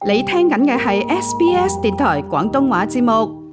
你聽緊嘅係 SBS 電台廣東話節目。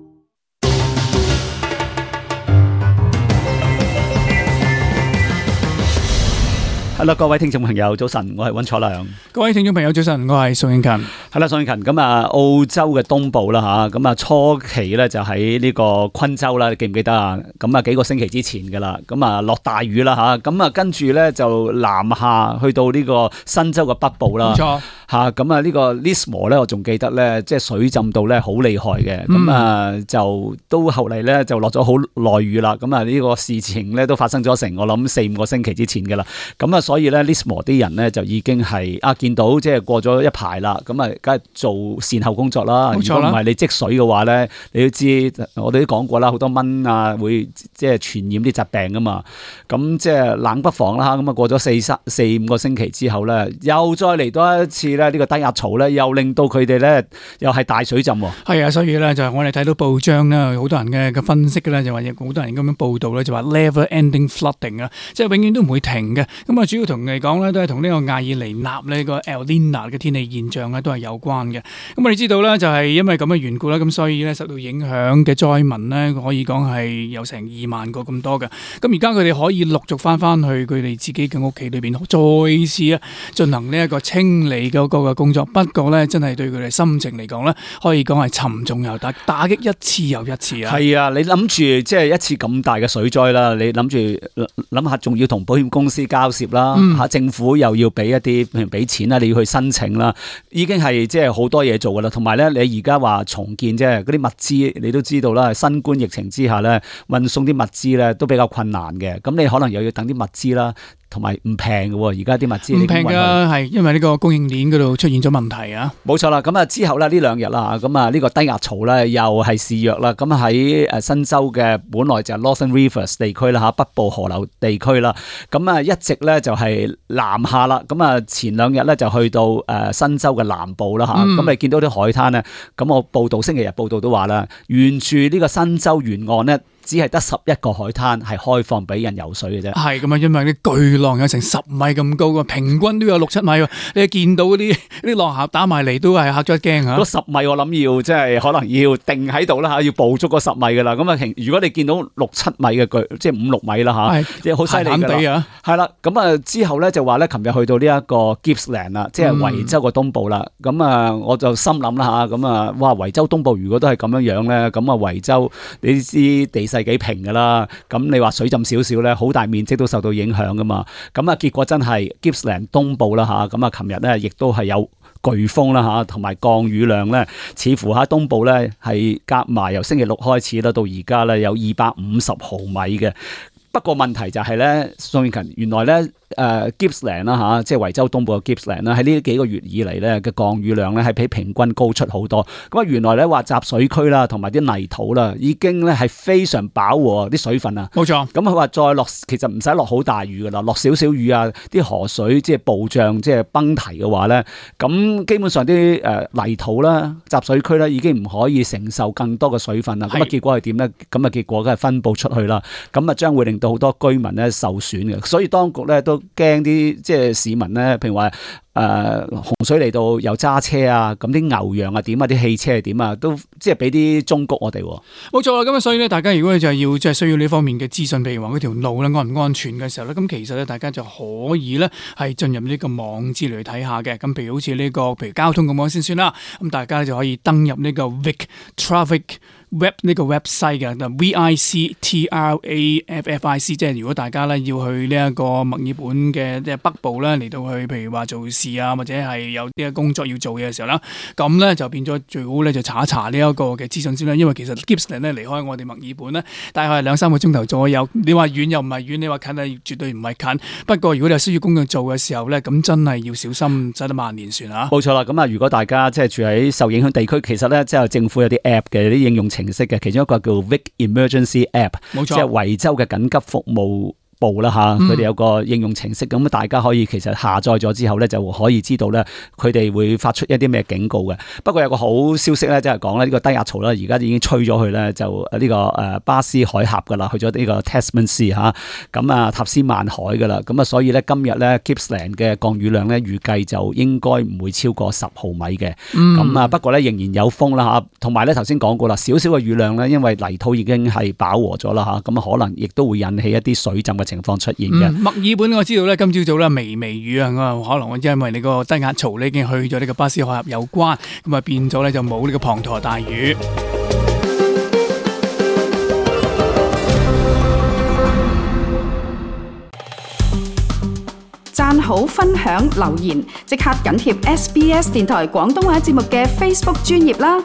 係啦，各位聽眾朋友，早晨，我係溫楚良。各位聽眾朋友，早晨，我係宋永勤。係啦，宋永勤，咁啊，澳洲嘅東部啦吓，咁啊初期咧就喺呢個昆州啦，你記唔記得啊？咁啊幾個星期之前噶啦，咁啊落大雨啦吓，咁啊跟住咧就南下去到呢個新州嘅北部啦。冇錯。吓，咁啊呢個 Lismore 咧，我仲記得咧，即係水浸到咧好厲害嘅，咁啊就都後嚟咧就落咗好耐雨啦，咁啊呢個事情咧都發生咗成我諗4-5個星期之前噶啦，咁啊所以咧 Lismore 啲人咧就已經係見到即係過咗一排啦，咁啊梗係做善後工作啦。冇錯啦。如果唔係你積水嘅話咧，你都知我哋都講過啦，好多蚊啊會即係傳染啲疾病噶嘛，咁即係冷不防啦，咁啊過咗4-5個星期之後咧，又再嚟多一次咧。呢個低壓槽咧，又令到佢哋咧，又係大水浸喎。係啊，所以咧就係我哋睇到報章咧，好多人嘅分析嘅咧，就話好多人咁樣報道咧，就話 never-ending flooding 啊，即係永遠都唔會停嘅。咁啊，主要同嚟講咧，都係同呢個亞爾尼納呢個 El Niño 嘅天氣現象咧，都係有關嘅。咁我哋知道咧，就係因為咁嘅緣故啦，咁所以咧受到影響嘅災民咧，可以講係有成2萬個咁多嘅。咁而家佢哋可以陸續翻去佢哋自己嘅屋企裏邊，再次進行呢一個清理嘅個工作，不過咧真係對佢哋心情嚟講咧，可以講係沉重又打擊一次又一次啊！係啊，你諗住即係一次咁大嘅水災啦，你諗下，仲要同保險公司交涉啦，政府又要俾一啲，譬如俾錢啦，你要去申請啦，已經係即係好多嘢做噶啦。同埋咧，你而家話重建即係嗰啲物資，你都知道啦，新冠疫情之下咧，運送啲物資咧都比較困難嘅。咁你可能又要等啲物資啦。同埋唔平嘅喎，而家啲物資唔平㗎，係因為呢個供應鏈嗰度出現咗問題啊！冇錯啦，咁啊之後咧呢2日啦，咁啊呢個低壓槽咧又係肆虐啦，咁喺新州嘅本來就係 Northern Rivers 地區啦嚇，北部河流地區啦，咁啊一直咧就係南下啦，咁啊前2日咧就去到新州嘅南部啦嚇，咁你見到啲海灘咧，咁我星期日報道都話啦，沿住呢個新州沿岸咧。只係得11個海灘係開放俾人游水嘅啫。係咁啊，因為啲巨浪有成10米咁高啊，平均都有6-7米喎。你見到嗰啲浪俠打埋嚟都係嚇咗一驚啊！嗰10米我諗要即係可能要定喺度啦嚇，要捕捉嗰10米㗎啦。咁啊，如果你見到6-7米嘅巨，即係5-6米啦嚇，即係好犀利㗎啦。係啦，咁啊之後咧就話咧，琴日去到呢一個 Gippsland 啦，即係維州嘅東部啦。咁啊，我就心諗啦嚇，咁啊，哇，維州東部如果都係咁樣咧，咁啊維州你知地勢幾平噶啦，咁你話水浸少少咧，好大面積都受到影響噶嘛，咁啊結果真係 Gippsland 東部啦吓，咁啊琴日咧亦都係有颶風啦吓，同埋降雨量咧，似乎喺東部咧係夾埋由星期6開始啦，到而家咧有250毫米嘅。不過問題就係咧，宋永勤，原來咧Gippsland 啦嚇，即係維州東部嘅 Gippsland 啦，喺呢幾個月以嚟咧嘅降雨量咧係比平均高出好多。咁啊原來咧話集水區啦，同埋啲泥土啦，已經咧係非常飽和啲水分啊。冇錯。咁佢話再落，其實唔使落好大雨噶啦，落少少雨啊，啲河水即係暴漲，即係崩堤嘅話咧，咁基本上啲泥土啦、集水區咧已經唔可以承受更多嘅水分啦。咁啊結果係點咧？咁啊結果梗係分佈出去啦。咁啊將會令到好多居民咧受損嘅，所以當局咧都驚啲即係市民咧，譬如話洪水嚟到又揸車啊，咁啲牛羊啊點啊，啲汽車係點啊，都即係俾啲忠告我哋。冇錯啦，咁啊所以咧，大家如果就係要即係需要呢方面嘅資訊，譬如話嗰條路咧安唔安全嘅時候咧，咁其實咧大家就可以咧係進入呢個網址嚟睇下嘅。咁譬如好似呢個譬如交通咁樣先算啦，咁大家就可以登入呢個 Vic Traffic Web 呢個 website 嘅，VICTRAFFIC， 即係如果大家咧要去呢一個墨爾本嘅即係北部咧嚟到去，譬如話做事啊，或者係有啲工作要做嘅時候啦，咁咧就變咗最好咧就查一查呢一個嘅資訊先啦。因為其實 Gippsland 咧離開我哋墨爾本咧，大概係2-3個鐘頭左右。你話遠又唔係遠，你話近係絕對唔係近。不過如果你有需要工作做嘅時候咧，咁真係要小心，使得萬年船啊！冇錯啦，咁啊，如果大家即係住喺受影響地區，其實咧即係政府有啲 app 嘅，啲應用程式嘅，其中一個叫 Vic Emergency App，冇錯，即係維州嘅緊急服務報啦嚇，佢哋有個應用程式，咁大家可以其實下載咗之後咧，就可以知道咧佢哋會發出一啲咩警告嘅。不過有個好消息咧，即係講咧呢個低壓槽咧，而家已經吹咗去咧，就呢個巴斯海峽噶啦，去咗呢個 Tasman Sea 嚇，咁啊塔斯曼海噶啦，咁啊所以咧今日咧 Gippsland 嘅降雨量咧預計就應該唔會超過10毫米嘅，咁啊不過咧仍然有風啦嚇，同埋咧頭先講過啦，少少嘅雨量咧，因為泥土已經係飽和咗啦嚇，咁啊可能亦都會引起一啲水浸嘅情況出現嘅。墨爾本我知道咧，今朝早咧微雨啊，可能因為你個低壓槽咧已經去咗呢個巴斯海峽有關，咁啊變咗咧就冇呢個滂沱大雨。讚好、分享、留言，即刻緊貼SBS 電台廣東話節目嘅 Facebook 專頁啦！